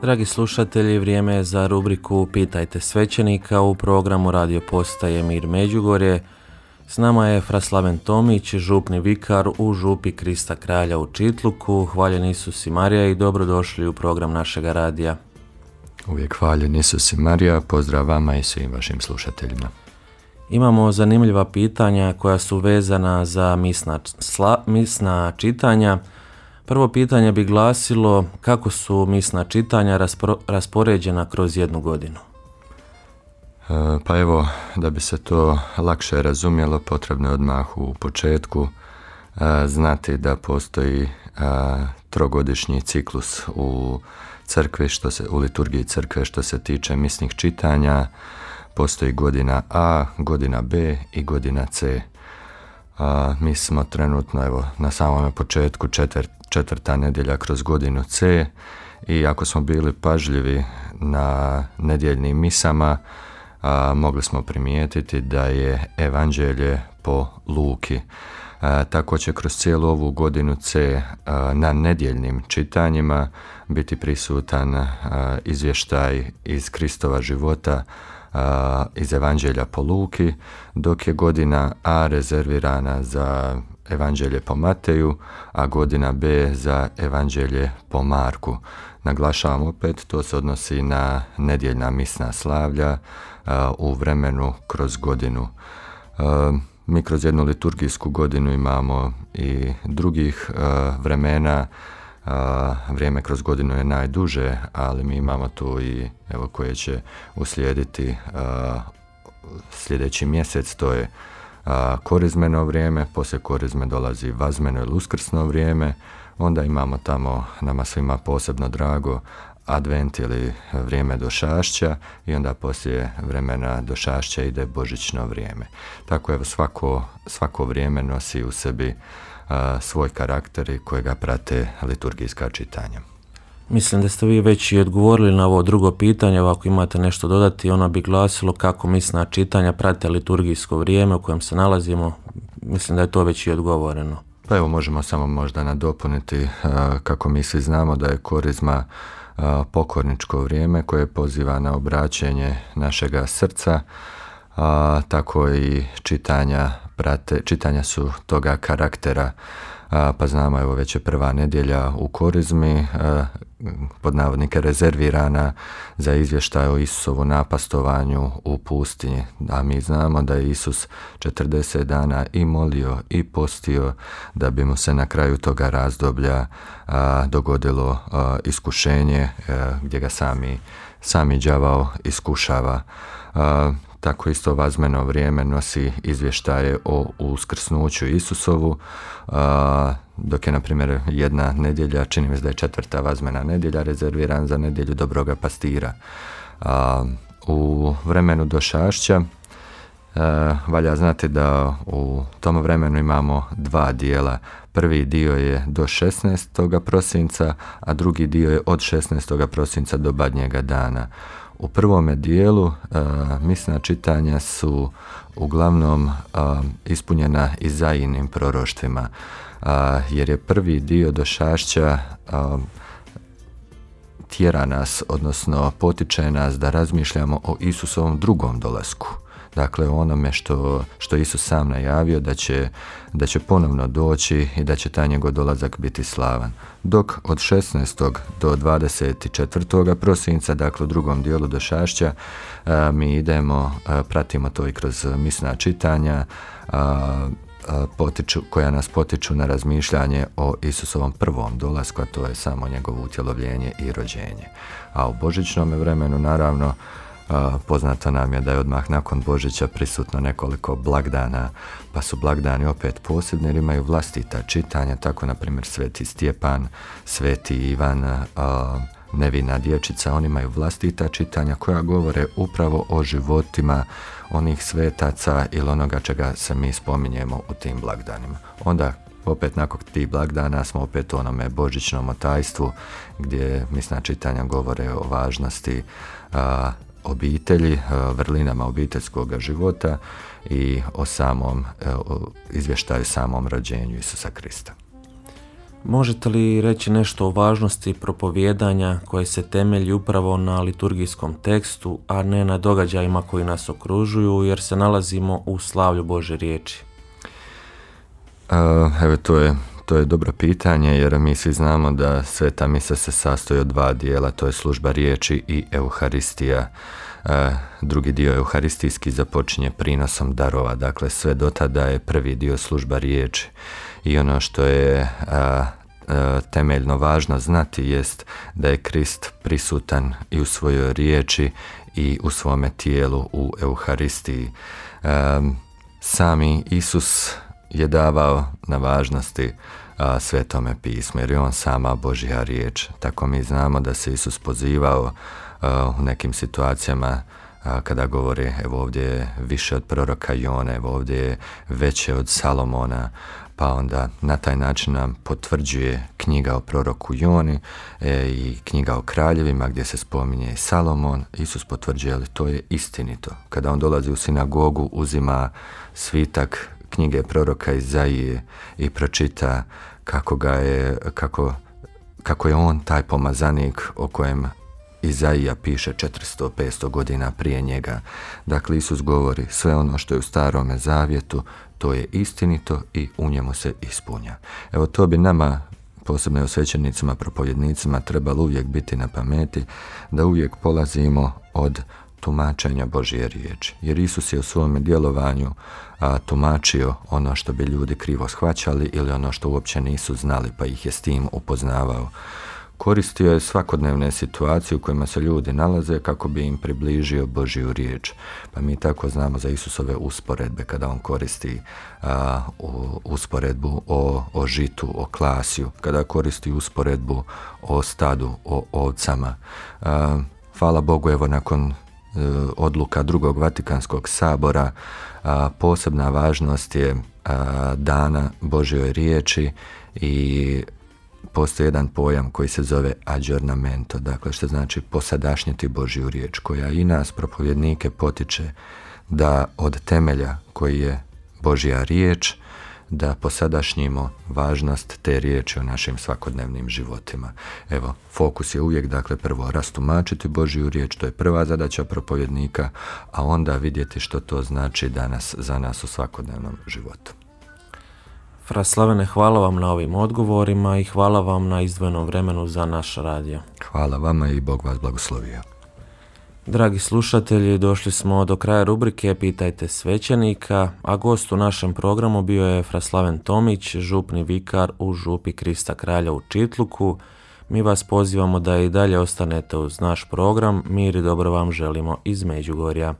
Dragi slušatelji, vrijeme je za rubriku Pitajte svećenika u programu Radio Postaje Mir Međugorje. S nama je fra Slaven Tomić, župni vikar u župi Krista Kralja u Čitluku. Hvaljen Isus i Marija i dobrodošli u program našega radija. Uvijek hvaljen Isus i Marija, pozdrav vama i svim vašim slušateljima. Imamo zanimljiva pitanja koja su vezana za misna čitanja. Prvo pitanje bi glasilo kako su misna čitanja raspoređena kroz jednu godinu. Pa evo, da bi se to lakše razumjelo, potrebno je odmah u početku znati da postoji trogodišnji ciklus u crkvi, u liturgiji crkve što se tiče misnih čitanja. Postoji godina A, godina B i godina C. Mi smo trenutno evo, na samome početku četvrta nedjelja kroz godinu C i ako smo bili pažljivi na nedjeljnim misama, mogli smo primijetiti da je evanđelje po Luki. Tako će kroz cijelu ovu godinu C na nedjeljnim čitanjima biti prisutan izvještaj iz Kristova života iz evanđelja po Luki, dok je godina A rezervirana za evanđelje po Mateju, a godina B za evanđelje po Marku. Naglašavam opet, to se odnosi na nedjeljna misna slavlja u vremenu kroz godinu. Mi kroz jednu liturgijsku godinu imamo i drugih vremena. Vrijeme kroz godinu je najduže, ali mi imamo tu i evo koje će uslijediti sljedeći mjesec, to je korizmeno vrijeme, poslije korizme dolazi vazmeno ili uskrsno vrijeme, onda imamo tamo nama svima posebno drago advent ili vrijeme došašća i onda poslije vremena došašća ide božićno vrijeme. Tako evo svako vrijeme nosi u sebi svoj karakter i kojega prate liturgijska čitanja. Mislim da ste vi već i odgovorili na ovo drugo pitanje, ako imate nešto dodati, ono bi glasilo kako misna čitanja prate liturgijsko vrijeme u kojem se nalazimo. Mislim da je to već i odgovoreno. Pa evo možemo samo možda nadopuniti kako mi svi znamo da je korizma pokorničko vrijeme koje poziva na obraćenje našega srca, tako i čitanja su toga karaktera, pa znamo evo već je prva nedjelja u korizmi, pod navodnike rezervirana za izvještaj o Isusovu napastovanju u pustinji, a mi znamo da je Isus 40 dana i molio i postio da bi mu se na kraju toga razdoblja dogodilo iskušenje gdje ga sami đavao iskušava. Tako isto vazmeno vrijeme nosi izvještaje o uskrsnuću Isusovu, dok je, na primjer, jedna nedjelja, čini mi se da je četvrta vazmena nedjelja, rezerviran za nedjelju dobroga pastira. U vremenu došašća valja znati da u tom vremenu imamo dva dijela. Prvi dio je do 16. prosinca, a drugi dio je od 16. prosinca do Badnjega dana. U prvome dijelu misna čitanja su uglavnom ispunjena Izaijinim proroštvima, jer je prvi dio došašća tjera nas, odnosno potiče nas da razmišljamo o Isusovom drugom dolasku. Dakle, onome što Isus sam najavio da će ponovno doći i da će taj njegov dolazak biti slavan. Dok od 16. do 24. prosinca, dakle u drugom dijelu došašća, mi pratimo to i kroz misna čitanja, koja nas potiču na razmišljanje o Isusovom prvom dolasku, a to je samo njegovo utjelovljenje i rođenje. A u božićnom vremenu, naravno, poznato nam je da je odmah nakon Božića prisutno nekoliko blagdana, pa su blagdani opet posebni jer imaju vlastita čitanja, tako na primjer Sveti Stjepan, Sveti Ivan, Nevina dječica, oni imaju vlastita čitanja koja govore upravo o životima onih svetaca ili onoga čega se mi spominjemo u tim blagdanima. Onda opet nakon tih blagdana smo opet u onome božićnom otajstvu gdje misna čitanja govore o važnosti obitelji, vrlinama obiteljskog života i o izvještaju samom rođenju Isusa Krista. Možete li reći nešto o važnosti propovijedanja koje se temelji upravo na liturgijskom tekstu, a ne na događajima koji nas okružuju, jer se nalazimo u slavlju Božje riječi? Evo, to je dobro pitanje, jer mi svi znamo da Sveta misa se sastoji od dva dijela, to je služba riječi i Euharistija. Drugi dio euharistijski započinje prinosom darova, dakle sve do tada je prvi dio služba riječi. I ono što je temeljno važno znati jest da je Krist prisutan i u svojoj riječi i u svome tijelu u Euharistiji. Sami Isus je davao na važnosti Svetome pismu, jer je on sama Božja riječ. Tako mi znamo da se Isus pozivao u nekim situacijama kada govori, evo ovdje je više od proroka Jone, evo ovdje je veće od Salomona, pa onda na taj način nam potvrđuje knjiga o proroku Joni i knjiga o kraljevima gdje se spominje i Salomon. Isus potvrđuje, ali to je istinito. Kada on dolazi u sinagogu, uzima svitak knjige proroka Izaije i pročita kako je on taj pomazanik o kojem Izaija piše 400-500 godina prije njega. Dakle, Isus govori sve ono što je u Starome zavjetu, to je istinito i u njemu se ispunja. Evo, to bi nama, posebno svećenicima, propovjednicima, trebalo uvijek biti na pameti, da uvijek polazimo od tumačenja Božje riječi. Jer Isus je u svome djelovanju tumačio ono što bi ljudi krivo shvaćali ili ono što uopće nisu znali, pa ih je s tim upoznavao. Koristio je svakodnevne situacije u kojima se ljudi nalaze kako bi im približio Božju riječ. Pa mi tako znamo za Isusove usporedbe, kada on koristi usporedbu o žitu, o klasju, kada koristi usporedbu o stadu, o ovcama. Hvala Bogu, evo nakon odluka Drugog Vatikanskog sabora posebna važnost je dana Božjoj riječi i postoji jedan pojam koji se zove aggiornamento, dakle što znači posadašnjiti Božju riječ, koja i nas propovjednike potiče da od temelja koji je Božja riječ, da posadašnjimo važnost te riječi u našim svakodnevnim životima. Evo, fokus je uvijek, dakle, prvo rastumačiti Božju riječ, to je prva zadaća propovjednika, a onda vidjeti što to znači danas za nas u svakodnevnom životu. Fra Slavene, hvala vam na ovim odgovorima i hvala vam na izdvojenom vremenu za naš radio. Hvala vama i Bog vas blagoslovio. Dragi slušatelji, došli smo do kraja rubrike Pitajte svećenika, a gost u našem programu bio je Fra Slaven Tomić, župni vikar u župi Krista Kralja u Čitluku. Mi vas pozivamo da i dalje ostanete uz naš program. Mir i dobro vam želimo iz Međugorja.